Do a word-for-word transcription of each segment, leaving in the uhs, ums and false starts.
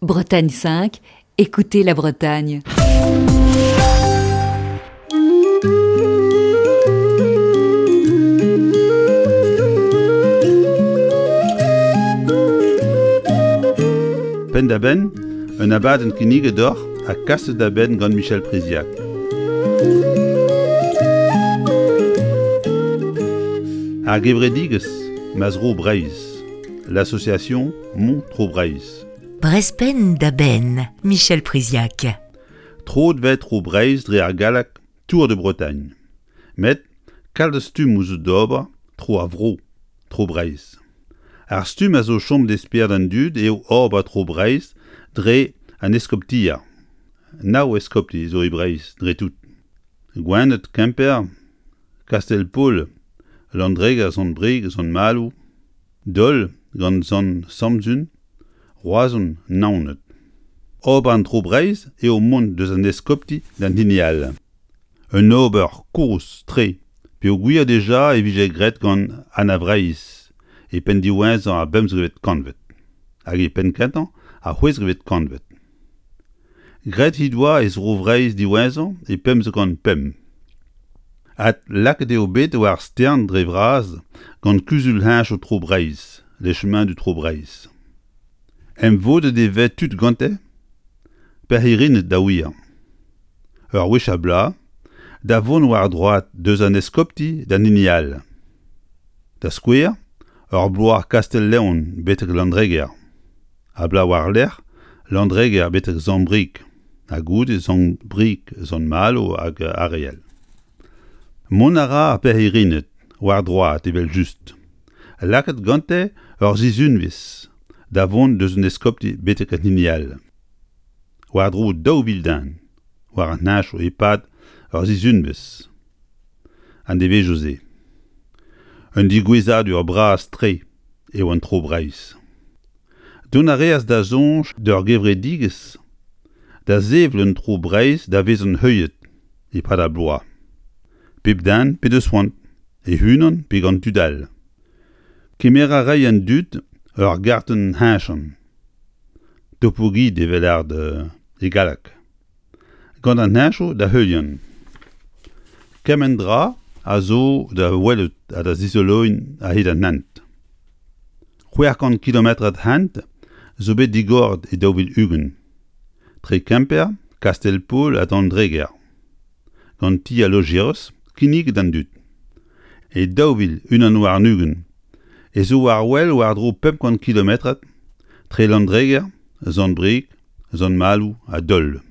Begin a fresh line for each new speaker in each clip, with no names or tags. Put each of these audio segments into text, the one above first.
Bretagne cinq, écoutez la Bretagne.
Penn-da-benn, un abadenn kinniget deoc'h ha kaset da benn gant Michel Priziac. Ar gevredigezh Ma Zro Breizh, l'association Mon Tro Breizh.
Brezh penn da benn, Michel Priziac.
Troet 'vez Tro Breizh dre ar galleg Tour de Bretagne. Met kalz stummoù zo d'ober tro ar vro, Tro Breizh. Ar stumm a zo chomet e spered an dud eo ober Tro Breizh dre an eskoptier. Nav eskopti zo e Breizh dre tout. Gwened, Kemper, Kastell-Paol, Landreger, Sant-Brieg, Sant-Maloù, Dol gant Sant-Samzun, Roazhon, Naoned. Ober an Tro Breizh eo mont deus an eskopti d'an hini all. Un ober kozh-tre peogwir dija e vije graet gant Anna Vreizh e penn diwezhañ ar bemzekvet kantved hag e penn kentañ ar c'hwezekvet kantved. Graet he doa he zro Vreizh diwezhañ e pemzek kant pemp. Adlakaet eo bet war stern dre vras gant kuzul-heñchañ Tro Breizh, Les Chemins du Tro Breizh. Emvodet e vez tud gante, pirc'hirined da wir. Ur wech ar bloaz, da vont war droad deus an eskopti d'an hini all. Da skouer, ur bloaz Kastell-Leon betek Landreger. Ar bloaz war-lerc'h, Landreger betek Sant-Brieg, ha goude Sant-Brieg, Sant-Malo hag ar re all. Mont a ra ar pirc'hirined war droad evel-just. Lakaet gante ur sizhunvezh da vont deus un eskopti betek an hini all. War-dro daou vil den, war an henchoù e-pad ur sizhunvezh. An devezhioù-se. Un digouezadur bras-tre eo an Tro Breizh. Dont a reas da soñj d'ur gevredigezh da sevel un Tro Breizh da vezañ heuliet e-pad ar bloaz. Pep den p'en deus c'hoant, e-unan pe gant tud all. Kemer a ray an dud ur gartenn heñchan. Topoguide evel lâret e galleg. Gant an heñchoù da heuliañ. Kement dra a zo da welout ha da zizoloiñ a-hed an hent. C'hwec'h kant kilometrad hent zo bet digoret e daou vil ugent. Tre Kemper, Kastell-Paol ha Landreger. Gant ti al lojerez kinniget d'an dud. E daou vil unan warn-ugent e zo war-wel war-dro pemp kant kilometrad tre Landreger, Sant-Brieg, Sant-Maloù ha Dol.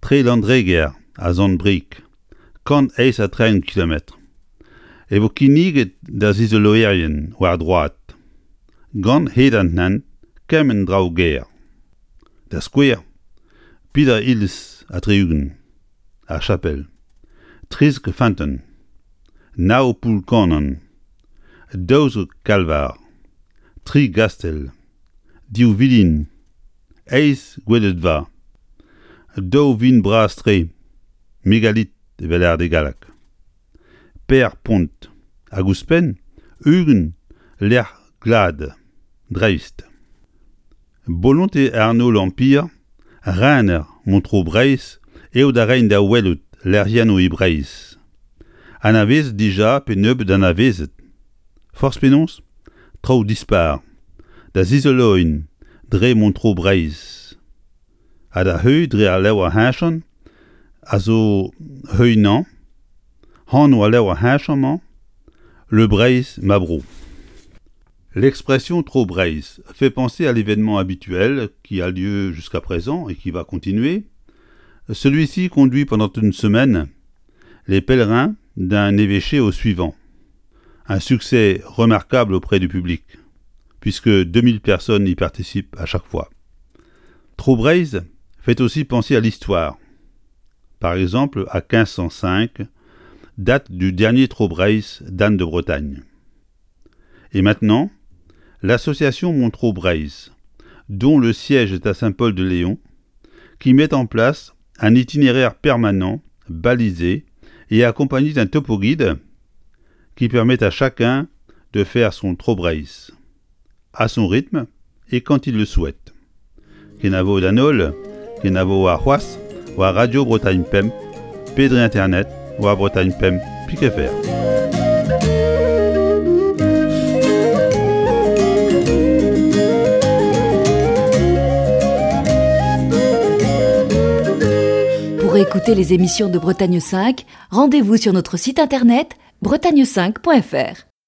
Tre Landreger ha Sant-Brieg, kant eizh ha tregont kilometr. E vo kinniget da zizoloerien war droad. Gant hed an hent kement draoù gaer. Da skouer, peder iliz ha tri-ugent, ar chapel, trizek feunteun, nav poull-kannan, daouzek kalvar, tri gastell, div vilin, eizh gweledva, daou vint bras-tre, megalit evel lâret e galleg, per pont, hag ouzhpenn ugent lec'h glad, dreist. Bolontez Arnaud L'Empire, rener Mon Tro Breizh eo da reiñ da welout lec'hiennoù e Breizh. Anavezet dija pe nebeut anavezet. Forzh penaos, traoù dispar, da zizoloiñ dre Mon Tro Breizh. Ha da heuilh dre al levr heñchan a zo heuilhañ, anv al levr heñchan-mañ, Le Breizh ma bro. L'expression Tro Breizh fait penser à l'événement habituel qui a lieu jusqu'à présent et qui va continuer. Celui-ci conduit pendant une semaine les pèlerins d'un évêché au suivant. Un succès remarquable auprès du public, puisque deux mille personnes y participent à chaque fois. Tro Breizh fait aussi penser à l'histoire. Par exemple, à quinze cent cinq, date du dernier Tro Breizh d'Anne de Bretagne. Et maintenant, l'association Mon Tro Breizh, dont le siège est à Saint-Paul-de-Léon, qui met en place un itinéraire permanent, balisé et accompagné d'un topo-guide qui permet à chacun de faire son Tro Breizh, à son rythme et quand il le souhaite. Kenavo d'an holl, kenavo ar c'hoazh, war Radio Bretagne Pemp, pe dre internet, war Bretagne Pemp, pik F R.
Pour écouter les émissions de Bretagne cinq, rendez-vous sur notre site internet bretagne cinq point F R.